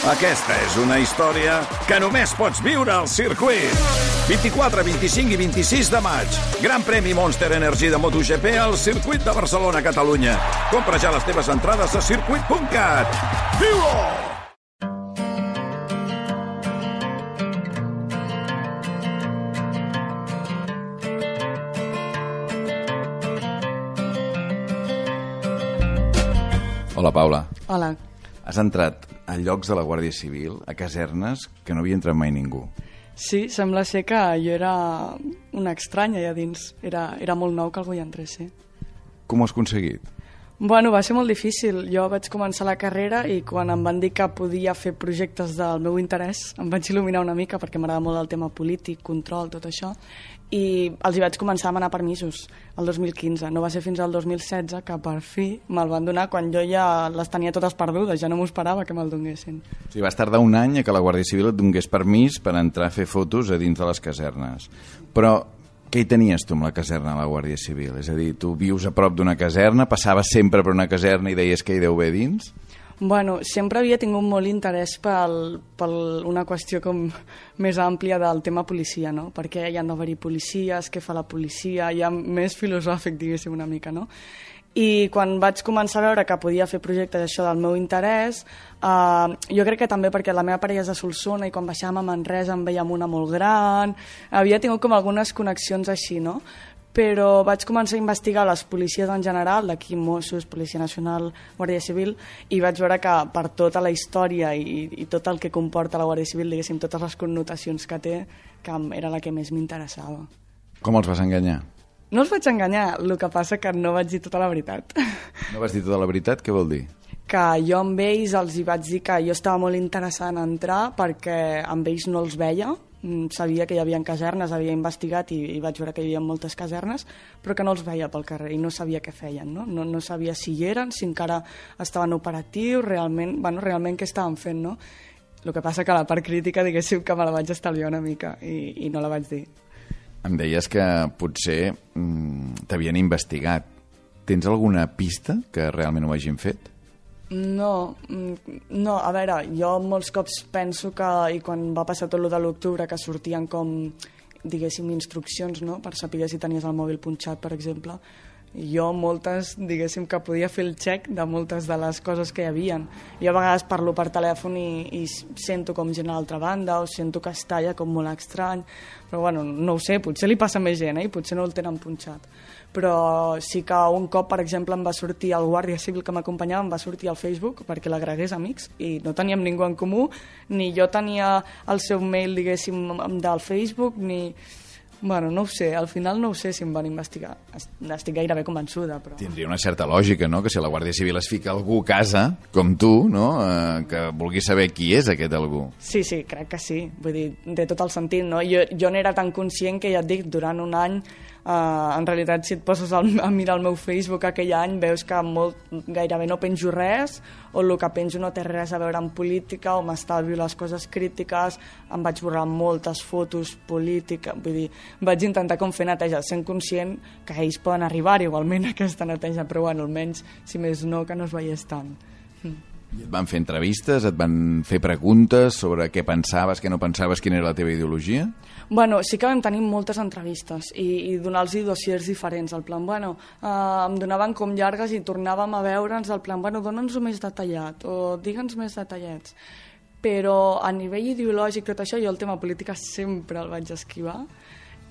Aquesta és una història que només pots viure al circuit. 24, 25 i 26 de maig. Gran premi Monster Energy de MotoGP al circuit de Barcelona, Catalunya. Compra ja les teves entrades a circuit.cat. Viu-ho! Hola, Paula. Hola. Has entrat a llocs de la Guàrdia Civil, a casernes, que no havia entrat mai ningú. Sí, sembla ser que jo era una estranya allà dins. Era molt nou que algú hi entrés, sí. Com ho has aconseguit? Bueno, va ser molt difícil. Jo vaig començar la carrera i quan em van dir que podia fer projectes del meu interès, em vaig il·luminar una mica perquè m'agrada molt el tema polític, control, tot això, i els hi vaig començar a demanar permisos el 2015. No va ser fins al 2016 que per fi me'l van donar quan jo ja les tenia totes perdudes, ja no m'ho esperava que me'l donessin. O sigui, vas tardar un any a que la Guàrdia Civil et donés permís per entrar a fer fotos a dins de les casernes. Però què hi tenies tu amb la caserna de la Guàrdia Civil? És a dir, tu vius a prop d'una caserna, passaves sempre per una caserna i deies que hi deu haver dins? Bueno, sempre havia tingut molt interès per una qüestió com més àmplia del tema policia, no? Perquè hi han d'haver-hi policies, què fa la policia, ja més filosòfic, diguéssim, una mica, no? I quan vaig començar a veure que podia fer projectes això del meu interès, jo crec que també perquè la meva parella és de Solsona i quan baixàvem a Manresa en veiem una molt gran, havia tingut com algunes connexions així, no? Però vaig començar a investigar les policies en general, d'aquí Mossos, Policia Nacional, Guàrdia Civil, i vaig veure que per tota la història i tot el que comporta la Guàrdia Civil, diguéssim, totes les connotacions que té, que era la que més m'interessava. Com els vas enganyar? No els vaig enganyar, el que passa que no vaig dir tota la veritat. No vas dir tota la veritat? Què vol dir? Que jo amb ells els hi vaig dir que jo estava molt interessada en entrar perquè amb ells no els veia, sabia que hi havia casernes, havia investigat i vaig veure que hi havia moltes casernes, però que no els veia pel carrer i no sabia què feien, no? No sabia si hi eren, si encara estaven operatius, realment què estaven fent, no? El que passa que la part crítica, diguéssim, que me la vaig estalviar una mica i no la vaig dir. Em deies que potser t'havien investigat. Tens alguna pista que realment ho hagin fet? No, a veure, jo molts cops penso que, i quan va passar tot de l'octubre, que sortien com, diguéssim, instruccions, no?, per saber si tenies el mòbil punxat, per exemple, jo moltes, diguéssim, que podia fer el check de moltes de les coses que hi havia. Jo a vegades parlo per telèfon i sento com gent a l'altra banda o sento que es talla com molt estrany, però bueno, no ho sé, potser li passa a més gent, i potser no el tenen punxat. Però sí que un cop, per exemple, em va sortir el guàrdia civil que m'acompanyava, em va sortir al Facebook perquè l'agregués amics i no teníem ningú en comú, ni jo tenia el seu mail, diguéssim, del Facebook, ni... Bueno, no ho sé, al final no ho sé si em van investigar. Estic gairebé convençuda, però... Tindria una certa lògica, no?, que si la Guàrdia Civil es fica algú a casa, com tu, no?, que vulgui saber qui és aquest algú. Sí, crec que sí. Vull dir, té tot el sentit, no? Jo n'era tan conscient que, ja et dic, durant un any, en realitat, si et poses a mirar el meu Facebook aquell any, veus que gairebé no penjo res, o el que penjo no té res a veure amb política, o m'estalvio les coses crítiques, em vaig borrar moltes fotos polítiques, vull dir, vaig intentar com fer neteja, sent conscient que ells poden arribar igualment a aquesta neteja, però bueno, almenys, si més no, que no es veiés tant. I et van fer entrevistes, et van fer preguntes sobre què pensaves, què no pensaves, quina era la teva ideologia? Bueno, sí que vam tenir moltes entrevistes i donar-los dossiers diferents, al plan, bueno, em donaven com llargues i tornàvem a veure'ns, al plan, bueno, dona'ns-ho més detallat, o digue'ns més detallets. Però a nivell ideològic, tot això, jo el tema política sempre el vaig esquivar,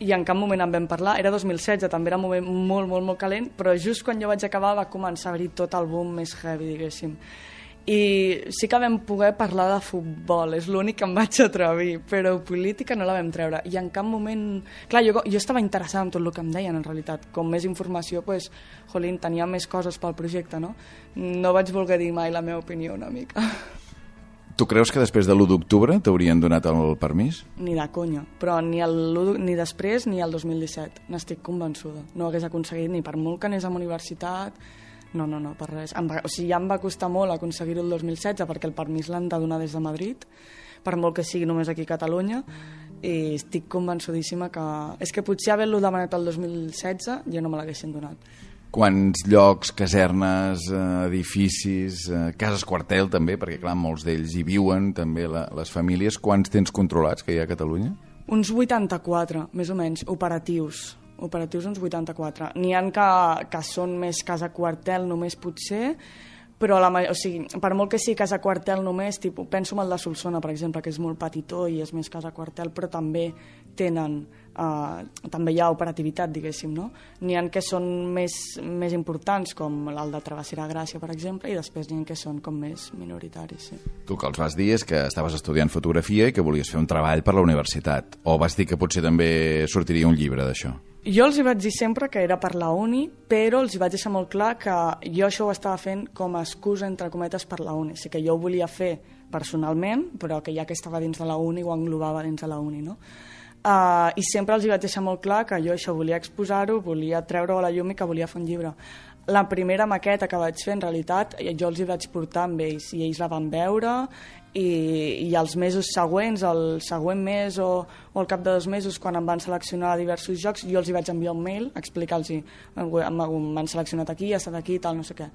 i en cap moment en vam parlar. Era 2016, també era un moment molt, molt, molt calent, però just quan jo vaig acabar va començar a haver-hi tot el boom més heavy, diguéssim. I sí que vam poder parlar de futbol, és l'únic que em vaig atrevir, però política no la vam treure. I en cap moment... Clar, jo estava interessada en tot el que em deien, en realitat. Com més informació, doncs, jolín, tenia més coses pel projecte, no? No vaig voler dir mai la meva opinió, una mica. Tu creus que després de l'1 d'octubre t'haurien donat el permís? Ni de conya, però ni després ni el 2017. N'estic convençuda. No ho hagués aconseguit ni per molt que anés a la universitat... No, per res. O sigui, ja em va costar molt aconseguir-ho el 2016 perquè el permís l'han de donar des de Madrid, per molt que sigui només aquí a Catalunya, i estic convençudíssima que... És que potser haver-lo demanat el 2016 ja no me l'haguessin donat. Quants llocs, casernes, edificis, cases quartel també, perquè clar, molts d'ells hi viuen també les famílies. Quants tens controlats que hi ha a Catalunya? Uns 84, més o menys, operatius uns 84. N'hi ha que són més casa quartel només potser, però per molt que sigui casa quartel només, penso en el de Solsona, per exemple, que és molt petitó i és més casa quartel, però també també hi ha operativitat, diguéssim, no? N'hi ha que són més importants, com el de Travessera Gràcia, per exemple, i després n'hi ha que són com més minoritaris, sí. Tu que els vas dir és que estaves estudiant fotografia i que volies fer un treball per la universitat, o vas dir que potser també sortiria un llibre d'això? Jo els hi vaig dir sempre que era per la uni, però els hi vaig deixar molt clar que jo això ho estava fent com a excusa, entre cometes, per la uni. O sigui que jo ho volia fer personalment, però que ja que estava dins de la uni ho englobava dins de la uni, no? I sempre els hi vaig deixar molt clar que jo això volia exposar-ho, volia treure-ho a la llum i que volia fer un llibre. La primera maqueta que vaig fer, en realitat, jo els hi vaig portar amb ells i ells la van veure i els mesos següents, el següent mes o al cap de 2 mesos, quan em van seleccionar diversos jocs, jo els hi vaig enviar un mail a explicar-los m'han seleccionat aquí, ha estat aquí, tal, no sé què.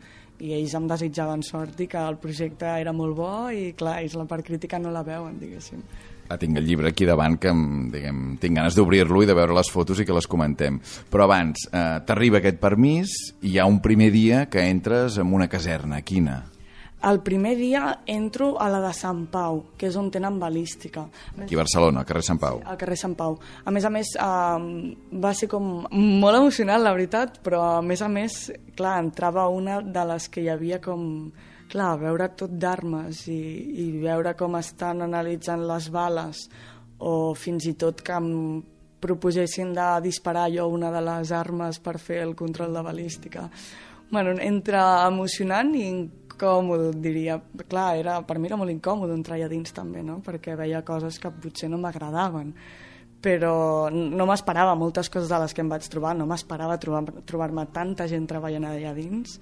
I ells em desitjaven sort i que el projecte era molt bo i clar, ells la part crítica no la veuen, diguéssim. Tinc el llibre aquí davant que tinc ganes d'obrir-lo i de veure les fotos i que les comentem. Però abans, t'arriba aquest permís i hi ha un primer dia que entres en una caserna. Quina? El primer dia entro a la de Sant Pau, que és on tenen balística. Aquí a Barcelona, al carrer Sant Pau. Al carrer Sant Pau. A més, va ser com molt emocionant, la veritat, però a més, clar, entrava una de les que hi havia com... Clar, veure tot d'armes i veure com estan analitzant les bales o fins i tot que em proposessin de disparar jo una de les armes per fer el control de balística. Bueno, entre emocionant i incòmode, diria. Clar, per mi era molt incòmode entrar allà dins també, no? Perquè veia coses que potser no m'agradaven. Però no m'esperava moltes coses de les que em vaig trobar, no m'esperava trobar-me tanta gent treballant allà dins.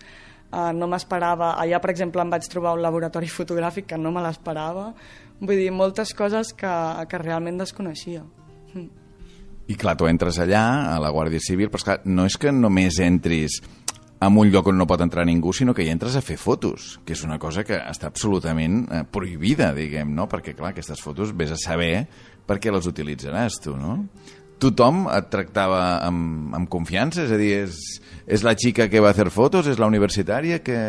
No m'esperava, allà per exemple em vaig trobar un laboratori fotogràfic que no me l'esperava, vull dir, moltes coses que realment desconeixia. I clar, tu entres allà a la Guàrdia Civil, però esclar, no és que només entris en un lloc on no pot entrar ningú, sinó que hi entres a fer fotos, que és una cosa que està absolutament prohibida, diguem, no? Perquè clar, aquestes fotos vés a saber per què les utilitzaràs tu, no? Tothom et tractava amb confiança? És a dir, és la xica que va fer fotos? És la universitària que...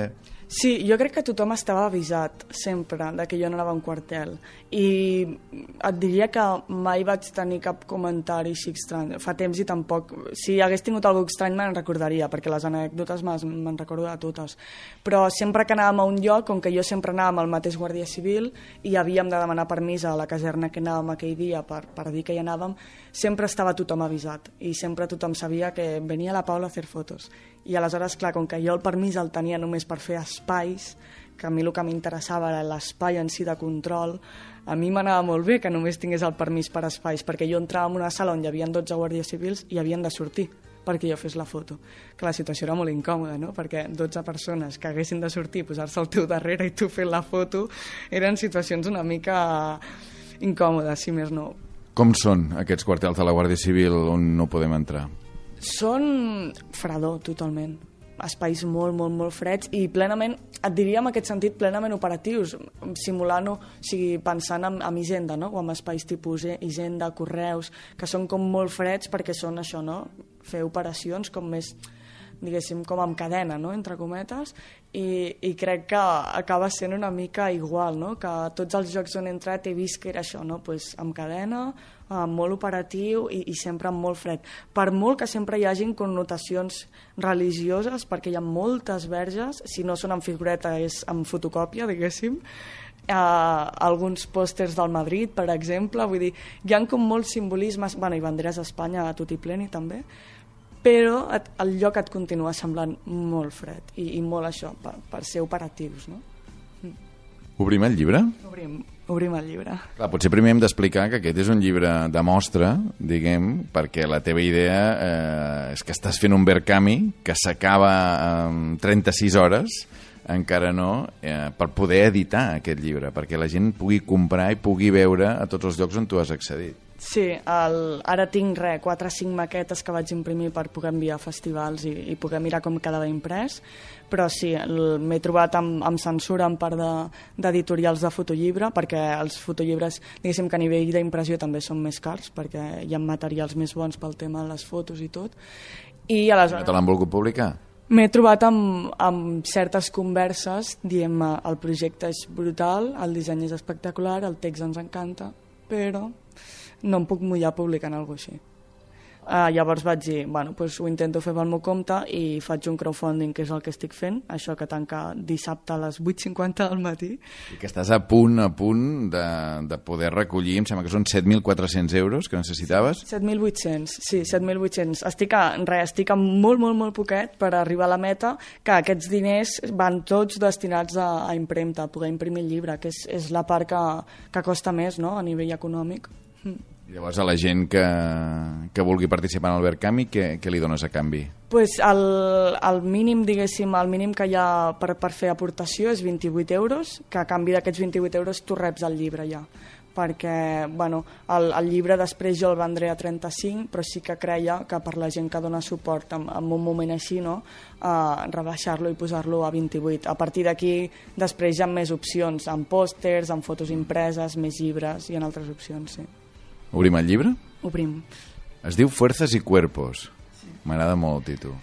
Sí, jo crec que tothom estava avisat sempre de que jo no anava a un quartel i et diria que mai vaig tenir cap comentari així estrany. Fa temps i tampoc... Si hagués tingut alguna estrany me'n recordaria, perquè les anècdotes me'n recordo de totes. Però sempre que anàvem a un lloc, com que jo sempre anava amb el mateix guàrdia civil i havíem de demanar permís a la caserna que anàvem aquell dia per dir que hi anàvem, sempre estava tothom avisat i sempre tothom sabia que venia la Paula a fer fotos. I aleshores, clar, com que jo el permís el tenia només per fer espais, que a mi el que m'interessava era l'espai en si de control, a mi m'anava molt bé que només tingués el permís per espais, perquè jo entrava en una sala on hi havia 12 guàrdies civils i havien de sortir perquè jo fes la foto. Que la situació era molt incòmoda, no? Perquè 12 persones que haguessin de sortir, posar-se al teu darrere i tu fent la foto, eren situacions una mica incòmodes, si més no. Com són aquests quartels de la Guàrdia Civil on no podem entrar? Són fredor, totalment. Espais molt, molt, molt freds i plenament, et diria en aquest sentit, plenament operatius, simulant-ho, o sigui, pensant en Hisenda, no? O en espais tipus Hisenda, Correus, que són com molt freds perquè són això, no? Fer operacions com més, diguéssim, com amb cadena, no? Entre cometes, i crec que acaba sent una mica igual, no? Que tots els jocs on he entrat he vist que era això, no? Pues amb cadena, molt operatiu i sempre molt fred. Per molt que sempre hi hagin connotacions religioses, perquè hi ha moltes verges, si no són en figureta és en fotocòpia, diguéssim, alguns pòsters del Madrid, per exemple, vull dir, hi ha com molts simbolismes, bueno, i banderes d'Espanya a tot i pleni també, però el lloc et continua semblant molt fred i molt això, per ser operatius, no? Obrim el llibre? Obrim el llibre. Clar, potser primer hem d'explicar que aquest és un llibre de mostra, diguem, perquè la teva idea és que estàs fent un Verkami que s'acaba en 36 hores, encara no, per poder editar aquest llibre, perquè la gent pugui comprar i pugui veure a tots els llocs on tu has accedit. Sí, ara tinc 4 o 5 maquetes que vaig imprimir per poder enviar a festivals i poder mirar com quedava imprès, però sí, m'he trobat amb censura en part d'editorials de fotollibre, perquè els fotollibres, diguéssim que a nivell d'impressió també són més cars, perquè hi ha materials més bons pel tema de les fotos i tot. I aleshores... No te l'han volgut publicar? M'he trobat amb certes converses dient el projecte és brutal, el disseny és espectacular, el text ens encanta, però no em puc mullar publicant alguna cosa així. Llavors vaig dir, bueno, doncs ho intento fer pel meu compte i faig un crowdfunding, que és el que estic fent, això que tanca dissabte a les 8:50 del matí. I que estàs a punt de poder recollir, em sembla que són 7.400 euros que necessitaves. 7.800, sí, 7.800. Estic a molt poquet per arribar a la meta, que aquests diners van tots destinats a impremta, a poder imprimir el llibre, que és la part que costa més, no?, a nivell econòmic. Llavors a la gent que vulgui participar en el Verkami, què li dones a canvi? Pues el mínim, diguéssim, el mínim que hi ha per fer aportació és 28 euros, que a canvi d'aquests 28 euros tu reps el llibre ja. Perquè, bueno, el llibre després jo el vendré a 35, però sí que creia que per la gent que dona suport en un moment així, no?, rebaixar-lo i posar-lo a 28. A partir d'aquí, després hi ha més opcions, amb pòsters, amb fotos impreses, més llibres, hi ha altres opcions, sí. Obrim el llibre? Obrim. Es diu Fuerzas y Cuerpos. Sí. M'agrada molt el títol.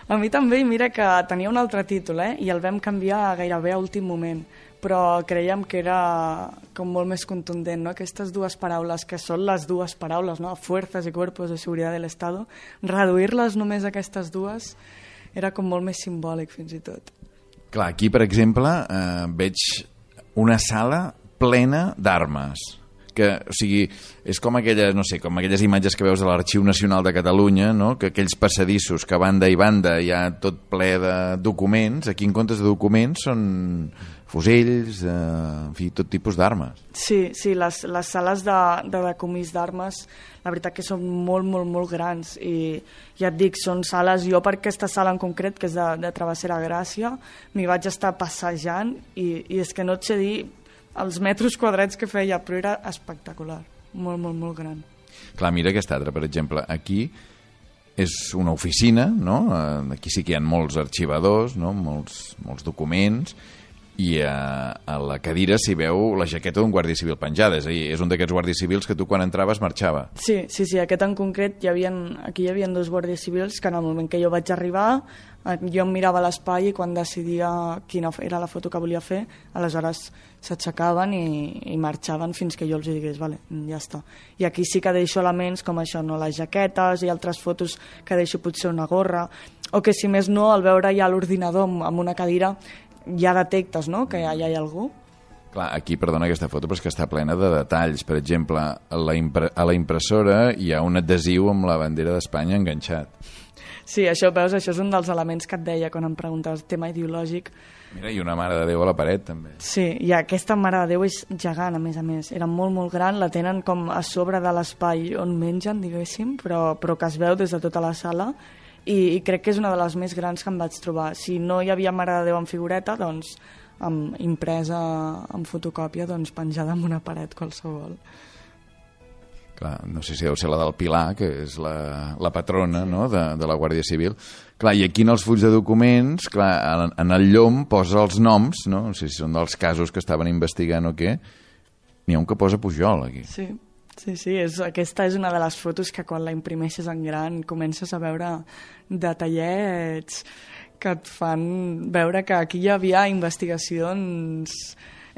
A mi també, i mira que tenia un altre títol, i el vam canviar gairebé a últim moment, però creiem que era com molt més contundent, no? Aquestes dues paraules, que són les dues paraules, no? Fuerzas y Cuerpos de Seguridad del Estado, reduir-les només a aquestes dues era com molt més simbòlic, fins i tot. Clar, aquí, per exemple, veig una sala plena d'armes. O sigui, és com aquelles, no sé, com aquelles imatges que veus de l'Arxiu Nacional de Catalunya, no?, que aquells passadissos que banda i banda hi ha tot ple de documents, aquí en comptes de documents són fusells, en fi, tot tipus d'armes. Sí, les sales de decomís d'armes, la veritat que són molt grans, i ja et dic, són sales, jo per aquesta sala en concret, que és de Travessera Gràcia, m'hi vaig estar passejant i és que no et sé dir els metres quadrats que feia, però era espectacular, molt gran. Clar, mira aquesta altra, per exemple, aquí és una oficina, no? Aquí sí que hi ha molts arxivadors, no? Molts documents, i a la cadira s'hi veu la jaqueta d'un guàrdia civil penjada, és a dir, és un d'aquests guàrdies civils que tu quan entraves marxava. Sí, aquest en concret, aquí hi havia 2 guàrdies civils que en el moment que jo vaig arribar, jo em mirava l'espai i quan decidia quina era la foto que volia fer, aleshores s'aixecaven i marxaven fins que jo els digués, vale, ja està. I aquí sí que deixo elements com això, no? Les jaquetes i altres fotos que deixo potser una gorra, o que si més no, al veure ja l'ordinador amb una cadira, ja detectes, no?, que ja hi ha algú. Clar, aquí, perdona aquesta foto, però és que està plena de detalls. Per exemple, a la impressora hi ha un adhesiu amb la bandera d'Espanya enganxat. Sí, això veus, això és un dels elements que et deia quan em preguntaves tema ideològic. Mira, i una Mare de Déu a la paret, també. Sí, i aquesta Mare de Déu és gegant, a més. Era molt gran, la tenen com a sobre de l'espai on mengen, diguéssim, però que es veu des de tota la sala, i crec que és una de les més grans que em vaig trobar. Si no hi havia Mare de Déu en figureta, doncs impresa en fotocòpia, doncs penjada en una paret qualsevol. Clar, no sé si deu ser la del Pilar, que és la patrona, no?, de la Guàrdia Civil. Clar, i aquí en els fulls de documents, clar, en el llom posa els noms, no sé si són dels casos que estaven investigant o què, n'hi ha un que posa Pujol, aquí. Sí, aquesta és una de les fotos que quan la imprimeixes en gran comences a veure detallets que et fan veure que aquí hi havia investigacions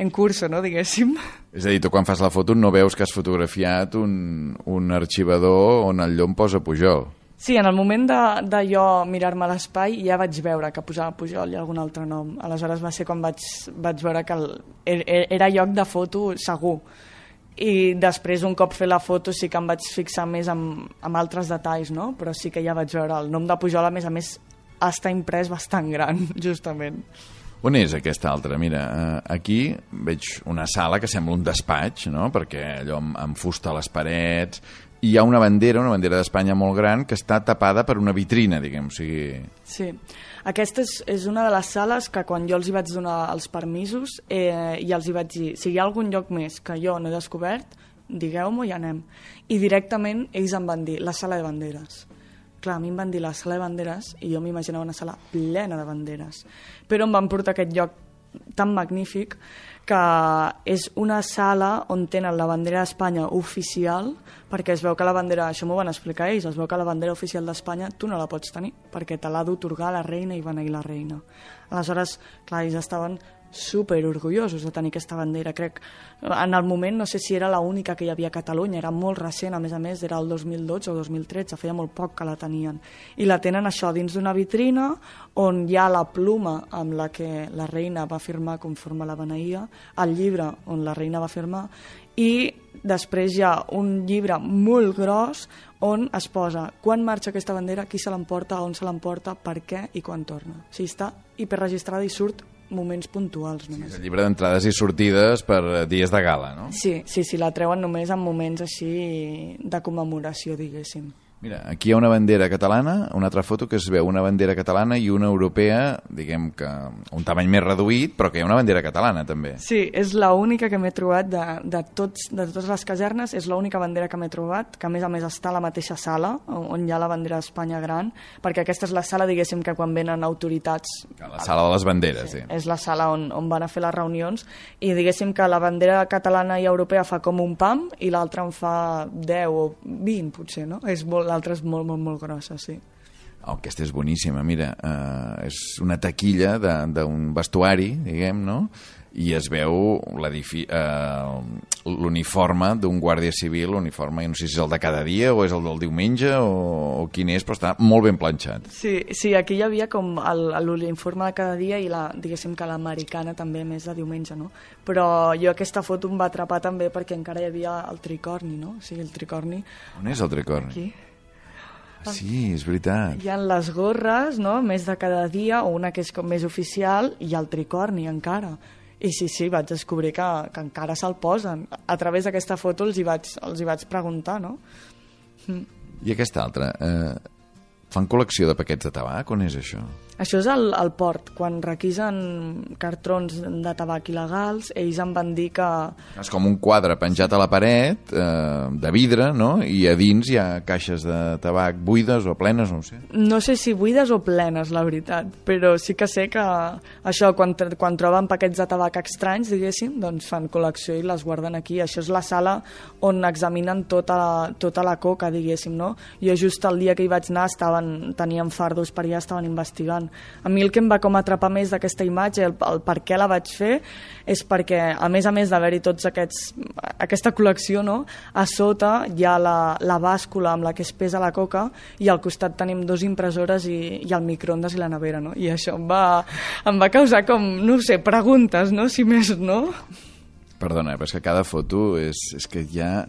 en curso, no?, diguéssim. És a dir, tu quan fas la foto no veus que has fotografiat un arxivador on el llom posa Pujol. Sí, en el moment de jo mirar-me l'espai ja vaig veure que posava Pujol i algun altre nom. Aleshores va ser quan vaig veure que era lloc de foto segur. I després, un cop fer la foto, sí que em vaig fixar més en altres detalls, no? Però sí que ja vaig veure el nom de Pujol, a més, està imprès bastant gran, justament. On és aquesta altra? Mira, aquí veig una sala que sembla un despatx, no?, perquè allò amb fusta a les parets, i hi ha una bandera d'Espanya molt gran que està tapada per una vitrina, diguem, o sigui... Sí, aquesta és una de les sales que quan jo els hi vaig donar els permisos i els hi vaig dir, si hi ha algun lloc més que jo no he descobert, digueu-m'ho i anem. I directament ells em van dir la sala de banderes. Clar, a mi em van dir la sala de banderes i jo m'imaginava una sala plena de banderes. Però em van portar a aquest lloc tan magnífic que és una sala on tenen la bandera d'Espanya oficial, perquè es veu que la bandera, això m'ho van explicar ells, es veu que la bandera oficial d'Espanya tu no la pots tenir, perquè te l'ha d'otorgar la reina i beneir la reina. Aleshores, clar, ells estaven super orgullosos de tenir aquesta bandera, crec. En el moment no sé si era l'única que hi havia a Catalunya, era molt recent, a més, era el 2012 o 2013, feia molt poc que la tenien. I la tenen això dins d'una vitrina on hi ha la pluma amb la que la reina va firmar conforme la beneïa, el llibre on la reina va firmar, i després hi ha un llibre molt gros on es posa quan marxa aquesta bandera, qui se l'emporta, on se l'emporta, per què i quan torna. O sigui, està hiperregistrada i surt moments puntuals només. El llibre d'entrades i sortides per dies de gala, no? Sí, la treuen només en moments així de commemoració, diguéssim. Mira, aquí hi ha una bandera catalana, una altra foto que es veu una bandera catalana i una europea, diguem que un tamany més reduït, però que hi ha una bandera catalana també. Sí, és l'única que m'he trobat de totes les casernes, és l'única bandera que m'he trobat, que a més està a la mateixa sala on hi ha la bandera d'Espanya gran, perquè aquesta és la sala, diguéssim, que quan venen autoritats... La sala de les banderes, sí. És la sala on van a fer les reunions i diguéssim que la bandera catalana i europea fa com un pam i l'altra en fa 10 o 20, potser, no? L'altra és molt grossa, sí. Oh, aquesta és boníssima, mira, és una taquilla d'un vestuari, diguem, no? I es veu l'uniforme d'un guàrdia civil, l'uniforme, no sé si és el de cada dia o és el del diumenge o quin és, però està molt ben planxat. Sí, aquí hi havia com l'uniforme de cada dia i diguéssim que l'americana també més de diumenge, no? Però jo aquesta foto em va atrapar també perquè encara hi havia el tricorni, no? O sigui, el tricorni... On és el tricorni? Aquí. Sí, és veritat. Hi ha les gorres, no?, més de cada dia, o una que és com més oficial, i el tricorni encara. I sí, vaig descobrir que encara se'l posen. A través d'aquesta foto els hi vaig preguntar, no? I aquesta altra, fan col·lecció de paquets de tabac? On és això? Això és al port. Quan requisen cartrons de tabac il·legals, ells em van dir que... És com un quadre penjat a la paret, de vidre, no? I a dins hi ha caixes de tabac buides o plenes, no ho sé. No sé si buides o plenes, la veritat, però sí que sé que això, quan troben paquets de tabac estranys, diguéssim, doncs fan col·lecció i les guarden aquí. Això és la sala on examinen tota la coca, diguéssim, no? Jo just el dia que hi vaig anar tenien fardos per allà, estaven investigant. A mi el que em va com atrapar més d'aquesta imatge, el per què la vaig fer, és perquè, a més d'haver-hi tots aquesta col·lecció, no? A sota hi ha la bàscula amb la que es pesa la coca i al costat tenim 2 impressores i el microondes i la nevera, no? I això em va causar com, no sé, preguntes, no? Si més no. Perdona, però és que cada foto és que hi ha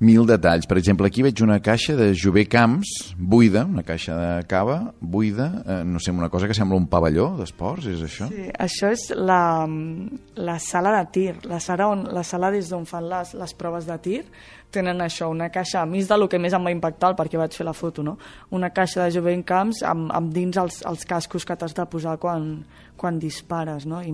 1000 detalls. Per exemple, aquí veig una caixa de Jové Camps buida, una caixa de cava buida, no sé, una cosa que sembla un pavelló d'esports, és això? Sí, això és la sala de tir, la sala des d'on fan les proves de tir, tenen això, una caixa, a mi és del que més em va impactar perquè vaig fer la foto, no? Una caixa de Jové Camps amb dins els cascos que t'has de posar quan dispares, no? I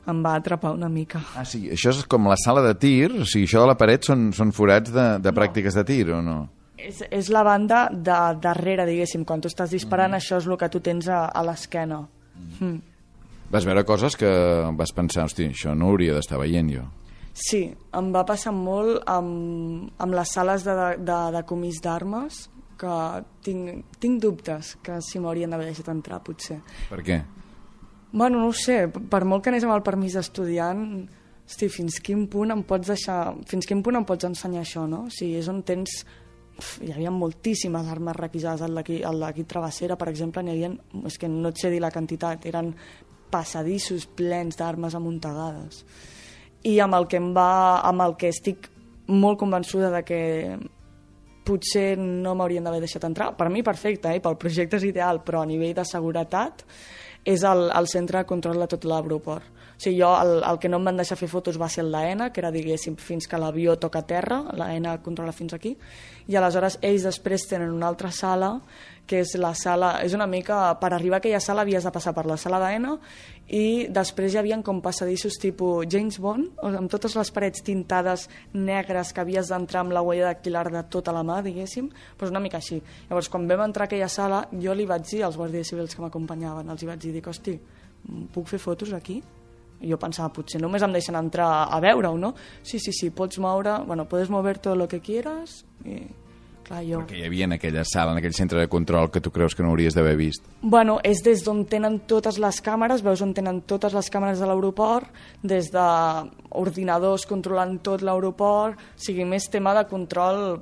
em va atrapar una mica. Ah, sí, això és com la sala de tir, o sigui, això de la paret són forats de pràctiques de tir, o no? És la banda de darrere, diguéssim, quan tu estàs disparant, això és el que tu tens a l'esquena. Vas veure coses que vas pensar, hosti, això no hauria d'estar veient jo. Sí, em va passar molt amb les sales de comís d'armes, que tinc dubtes que si m'haurien d'haver deixat entrar, potser. Per què? Bueno, no ho sé, per molt que anés amb el permís d'estudiant, hosti, fins quin punt em pots ensenyar això, no? O sigui, és on tens... Hi havia moltíssimes armes requisades al d'aquí Travessera, per exemple, és que no et sé dir la quantitat, eren passadissos plens d'armes amuntegades. I amb el que estic molt convençuda de que potser no m'haurien d'haver deixat entrar. Per mi perfecte, pel projecte és ideal, però a nivell de seguretat és el centre de control de tot l'aeroport. O sigui, jo el que no em van deixar fer fotos va ser el d'AENA, que era, diguéssim, fins que l'avió toca terra, l'AENA controla fins aquí, i aleshores ells després tenen una altra sala, que és la sala, és una mica, per arribar a aquella sala havies de passar per la sala d'AENA i després hi havia com passadissos tipus James Bond, amb totes les parets tintades negres que havies d'entrar amb la huella dactilar de tota la mà, diguéssim, doncs una mica així. Llavors, quan vam entrar a aquella sala, jo li vaig dir als guàrdies civils que m'acompanyaven, els hi vaig dir, hosti, puc fer fotos aquí? I jo pensava, potser només em deixen entrar a veure-ho, no? Sí, pots moure, bueno, puedes mover todo lo que quieras, i... Clar, jo... Perquè hi havia en aquella sala, en aquell centre de control que tu creus que no hauries d'haver vist. Bueno, és des d'on tenen totes les càmeres, veus on tenen totes les càmeres de l'aeroport, des d'ordinadors controlant tot l'aeroport, o sigui, més tema de control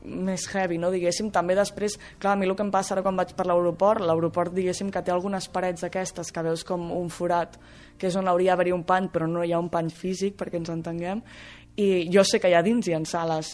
més heavy, no, diguéssim. També després, clar, a mi el que em passa ara quan vaig per l'aeroport, diguéssim, que té algunes parets d'aquestes que veus com un forat, que és on hauria d'haver-hi un pany, però no hi ha un pany físic, perquè ens entenguem, i jo sé que allà dins hi ha sales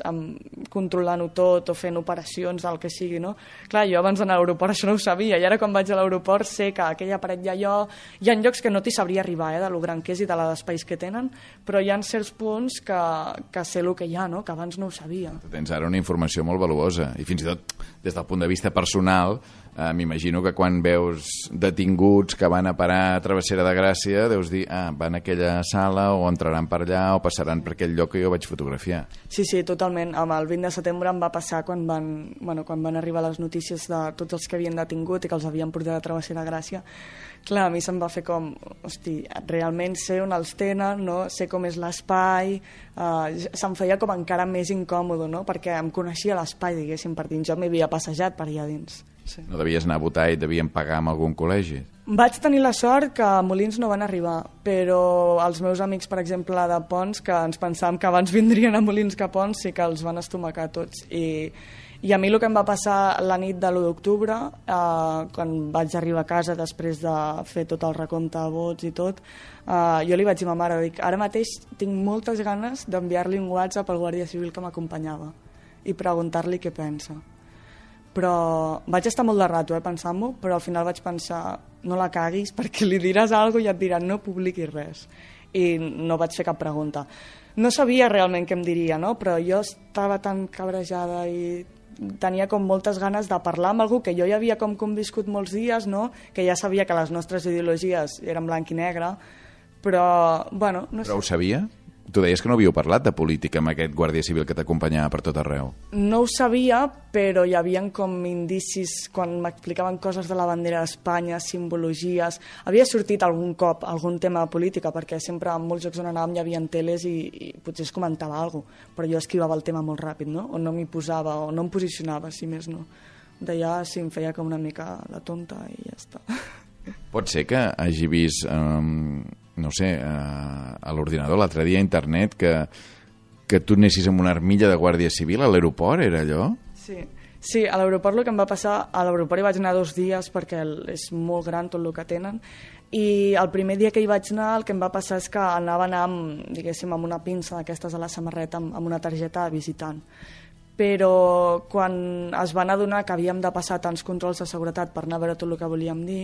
controlant-ho tot o fent operacions, el que sigui, no? Clar, jo abans d'anar a l'aeroport això no ho sabia, i ara quan vaig a l'aeroport sé que aquella paret hi ha llocs que no t'hi sabria arribar, de lo gran que és i de l'espais que tenen, però hi ha certs punts que sé el que hi ha, no? Que abans no ho sabia. Tens ara una informació molt valuosa, i fins i tot des del punt de vista personal, m'imagino que quan veus detinguts que van a parar a Travessera de Gràcia deus dir, van a aquella sala o entraran per allà o passaran per aquell lloc que jo vaig fotografiar. Sí, totalment. Amb el 20 de setembre em va passar quan van arribar les notícies de tots els que havien detingut i que els havien portat a Travessera de Gràcia. Clar, a mi se'm va fer com, hosti, realment sé on els tenen, no? Sé com és l'espai, se'm feia com encara més incòmode, no? Perquè em coneixia l'espai, diguéssim, per dins. Jo m'hi havia passejat per allà dins. Sí. No devies anar a votar i et devien pagar amb algun col·legi? Vaig tenir la sort que a Molins no van arribar, però els meus amics, per exemple, de Pons, que ens pensàvem que abans vindrien a Molins que a Pons, sí que els van estomacar tots. I a mi el que em va passar la nit de l'1 d'octubre, quan vaig arribar a casa després de fer tot el recompte de vots i tot, jo li vaig dir a ma mare, dic, ara mateix tinc moltes ganes d'enviar-li un WhatsApp al guàrdia civil que m'acompanyava i preguntar-li què pensa. Però vaig estar molt de rato pensant-m'ho, però al final vaig pensar, no la caguis perquè li diràs alguna cosa i et diran no publiquis res. I no vaig fer cap pregunta. No sabia realment què em diria, no? Però jo estava tan cabrejada i tenia com moltes ganes de parlar amb algú que jo ja havia com conviscut molts dies, no? Que ja sabia que les nostres ideologies eren blanc i negre, però, bueno... No sé. Però ho sabia? Tu deies que no havíeu parlat de política amb aquest guàrdia civil que t'acompanyava per tot arreu. No ho sabia, però hi havia com indicis quan m'explicaven coses de la bandera d'Espanya, simbologies... Havia sortit algun cop algun tema de política, perquè sempre en molts jocs on anàvem hi havia teles i potser es comentava alguna cosa, però jo esquivava el tema molt ràpid, no? O no m'hi posava, o no em posicionava, si més no. D'allà sí em feia com una mica la tonta i ja està. Pot ser que hagi vist... no sé, a l'ordinador l'altre dia a internet que tu anessis amb una armilla de guàrdia civil a l'aeroport, era allò? Sí, a l'aeroport el que em va passar, a l'aeroport hi vaig anar 2 dies perquè és molt gran tot el que tenen, i el primer dia que hi vaig anar el que em va passar és que anava amb, diguéssim, amb una pinça d'aquestes a la samarreta amb una targeta de visitant. Però quan es van adonar que havíem de passar tants controls de seguretat per anar a veure tot el que volíem dir,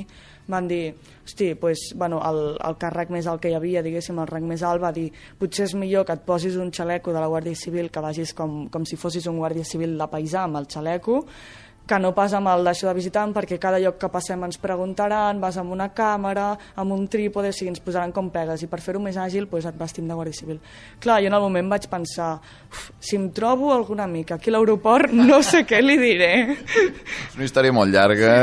van dir, hosti, pues, bueno, el càrrec més alt que hi havia, diguéssim, el rang més alt, va dir, potser és millor que et posis un xaleco de la Guàrdia Civil, que vagis com si fossis un guàrdia civil de paisà amb el xaleco, que no pas amb el d'això de visitant, perquè cada lloc que passem ens preguntaran, vas amb una càmera, amb un trípode, o sigui, ens posaran com pegues, i per fer-ho més àgil pues, et vestim de guàrdia civil. Clar, jo en el moment vaig pensar, si em trobo algun amic aquí a l'aeroport, no sé què li diré. És una història molt llarga.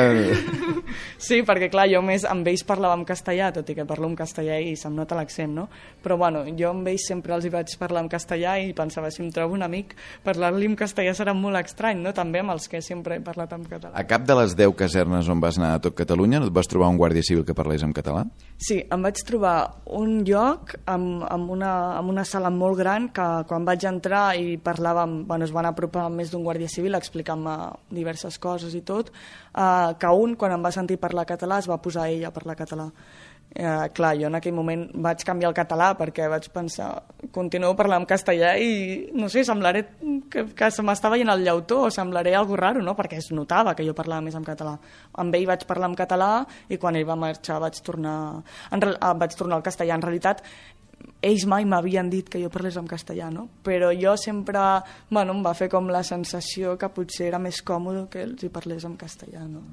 Sí, perquè clar, jo més amb ells parlava en castellà, tot i que parlo en castellà i se'm nota l'accent, no? Però bueno, jo amb ells sempre els hi vaig parlar en castellà i pensava, si em trobo un amic, parlar-li en castellà serà molt estrany, no? També amb els que sempre he parlat en català. A cap de les 10 casernes on vas anar a tot Catalunya no et vas trobar un guàrdia civil que parlés en català? Sí, em vaig trobar un lloc amb una sala molt gran que quan vaig entrar i parlàvem, bueno, es van apropar més d'un guàrdia civil explicant-me diverses coses i tot, que un, quan em va sentir parlar català, es va posar ell a parlar català. clar, jo en aquell moment vaig canviar el català perquè vaig pensar, continuo parlant en castellà i, no sé, semblaré que se m'està veient el llautó o semblaré algo raro, no? Perquè es notava que jo parlava més en català. Amb ell vaig parlar en català i quan ell va marxar vaig tornar al castellà. En realitat, ells mai m'havien dit que jo parlés en castellà, no? Però jo sempre, bueno, em va fer com la sensació que potser era més còmode que ells hi parlés en castellà, no?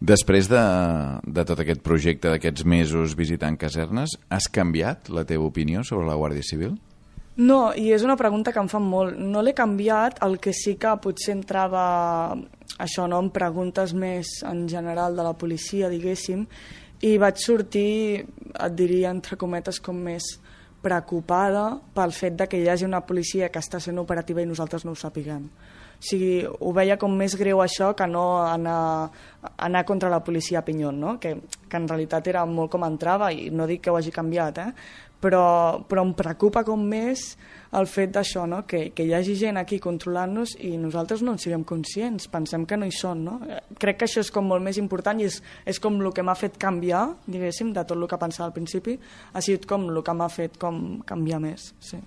Després de tot aquest projecte d'aquests mesos visitant casernes, has canviat la teva opinió sobre la Guàrdia Civil? No, i és una pregunta que em fan molt. No l'he canviat, el que sí que potser entrava això, no?, en preguntes més en general de la policia, diguéssim, i vaig sortir, et diria, entre cometes, com més preocupada pel fet de que hi hagi una policia que està sent operativa i nosaltres no ho sapiguem. O sigui, ho veia com més greu això que no anar contra la policia a Pinyón, no? Que en realitat era molt com entrava, i no dic que ho hagi canviat, però em preocupa com més el fet d'això, no? Que hi hagi gent aquí controlant-nos i nosaltres no en siguem conscients, pensem que no hi són, no? Crec que això és com molt més important i és com el que m'ha fet canviar, diguéssim, de tot el que pensava al principi, ha sigut com el que m'ha fet com canviar més, sí.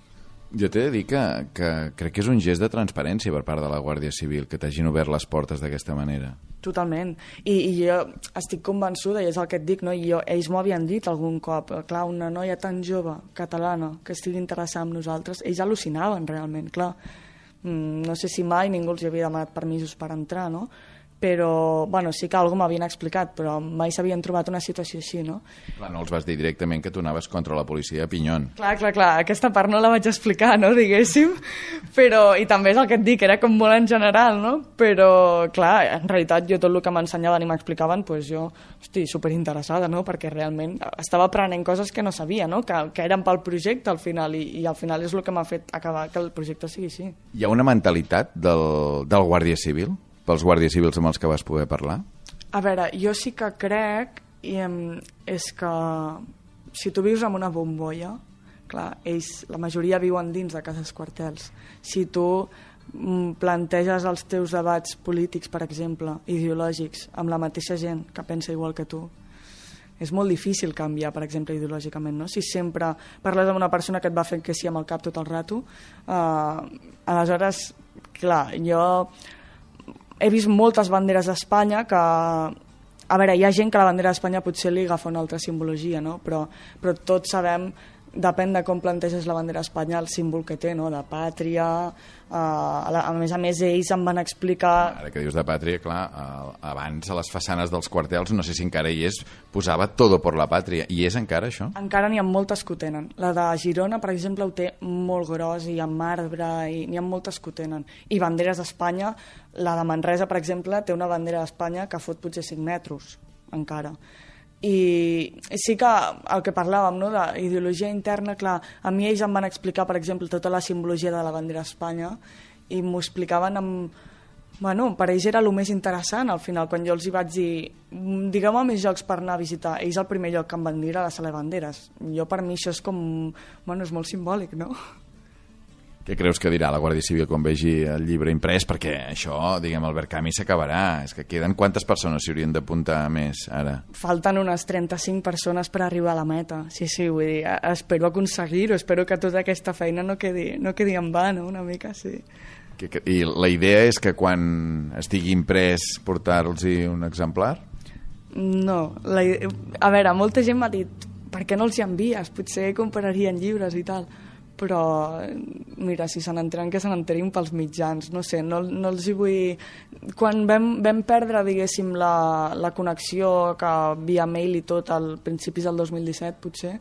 Jo t'he de dir que crec que és un gest de transparència per part de la Guàrdia Civil, que t'hagin obert les portes d'aquesta manera. Totalment. I jo estic convençuda, i és el que et dic, no? Ells m'ho havien dit algun cop. Clar, una noia tan jove, catalana, que estigui interessada en nosaltres, ells al·lucinaven realment, clar. No sé si mai ningú els havia demanat permisos per entrar, no? Però, bueno, sí que algú m'havien explicat, però mai s'havien trobat una situació així, no? Clar, no els vas dir directament que tu anaves contra la policia de Pinyón. Clar, aquesta part no la vaig explicar, no, diguéssim, però, i també és el que et dic, era com molt en general, no? Però, clar, en realitat jo tot el que m'ensenyaven i m'explicaven, doncs jo estic superinteressada, no? Perquè realment estava aprenent coses que no sabia, no? Que eren pel projecte al final, i al final és el que m'ha fet acabar que el projecte sigui així. Hi ha una mentalitat del Guàrdia Civil? Pels guàrdies civils amb els que vas poder parlar? A veure, jo sí que crec és que si tu vius en una bombolla, clar, ells, la majoria viuen dins de cases quartels. Si tu planteges els teus debats polítics, per exemple, ideològics, amb la mateixa gent que pensa igual que tu, és molt difícil canviar, per exemple, ideològicament, no? Si sempre parles amb una persona que et va fent que sí amb el cap tot el rato, aleshores, clar, jo he vist moltes banderes d'Espanya que... A veure, hi ha gent que la bandera d'Espanya potser li agafa una altra simbologia, no? Però tots sabem, depèn de com planteges la bandera d'Espanya, el símbol que té, no? De pàtria... A més, ells em van explicar... Ara que dius de pàtria, clar, abans a les façanes dels quartels, no sé si encara hi és, posava todo por la pàtria. I és encara això? Encara n'hi ha moltes que ho tenen. La de Girona, per exemple, ho té molt gros i amb marbre, i n'hi ha moltes que ho tenen. I banderes d'Espanya, la de Manresa, per exemple, té una bandera d'Espanya que fot potser 5 metres, encara. I sí que el que parlàvem, no, d'ideologia interna, clar, a mi ells em van explicar, per exemple, tota la simbologia de la bandera d'Espanya i m'ho explicaven amb... Bueno, per ells era el més interessant, al final, quan jo els hi vaig dir digueu-me més llocs per anar a visitar. Ells el primer lloc que em van dir era la sala de banderes. Jo, per mi, això és com... Bueno, és molt simbòlic, no? Què creus que dirà la Guàrdia Civil quan vegi el llibre imprès? Perquè això, diguem, el Verkami s'acabarà. És que queden quantes persones s'hi haurien d'apuntar més ara? Falten unes 35 persones per arribar a la meta. Sí, vull dir, espero aconseguir-ho. Espero que tota aquesta feina no quedi en va, no? Una mica, sí. I la idea és que quan estigui imprès portar-los-hi un exemplar? No. A veure, molta gent m'ha dit per què no els hi envies? Potser compararien llibres i tal. Però, mira, si se n'enteren, que se n'enterin pels mitjans, no sé, no els hi vull... Quan vam perdre, diguéssim, la connexió que via mail i tot al principis del 2017, potser,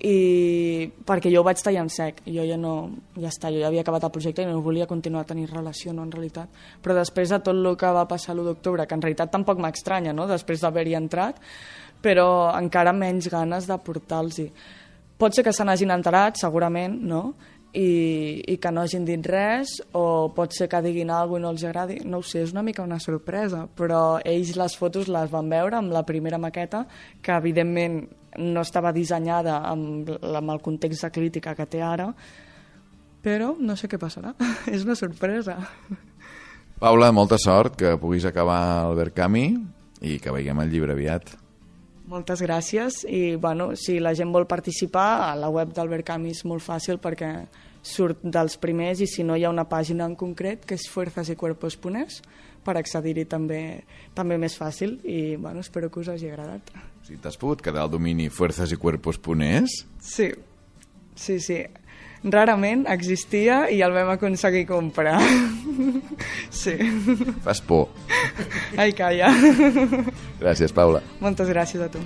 i perquè jo ho vaig tallar en sec, jo ja no... Ja està, jo ja havia acabat el projecte i no volia continuar a tenir relació, no, en realitat. Però després de tot el que va passar l'1 d'octubre, que en realitat tampoc m'estranya, no?, després d'haver-hi entrat, però encara menys ganes de portar-los-hi. Pot ser que se n'hagin enterat, segurament, no? I que no hagin dit res, o pot ser que diguin alguna cosa i no els agradi. No ho sé, és una mica una sorpresa, però ells les fotos les van veure amb la primera maqueta, que evidentment no estava dissenyada amb el context de crítica que té ara, però no sé què passarà. És una sorpresa. Paula, molta sort, que puguis acabar el Verkami i que veiem el llibre aviat. Moltes gràcies i bueno, si la gent vol participar, a la web d'Albert Camus és molt fàcil perquè surt dels primers i si no hi ha una pàgina en concret que és fuerzasycuerpos.es per accedir-hi també més fàcil i bueno, espero que us hagi agradat. Si t'has pogut quedar al domini fuerzasycuerpos.es? Sí. Rarament existia i el vam aconseguir comprar. Sí. Fas por. Ai, calla. Gràcies, Paula. Moltes gràcies a tu.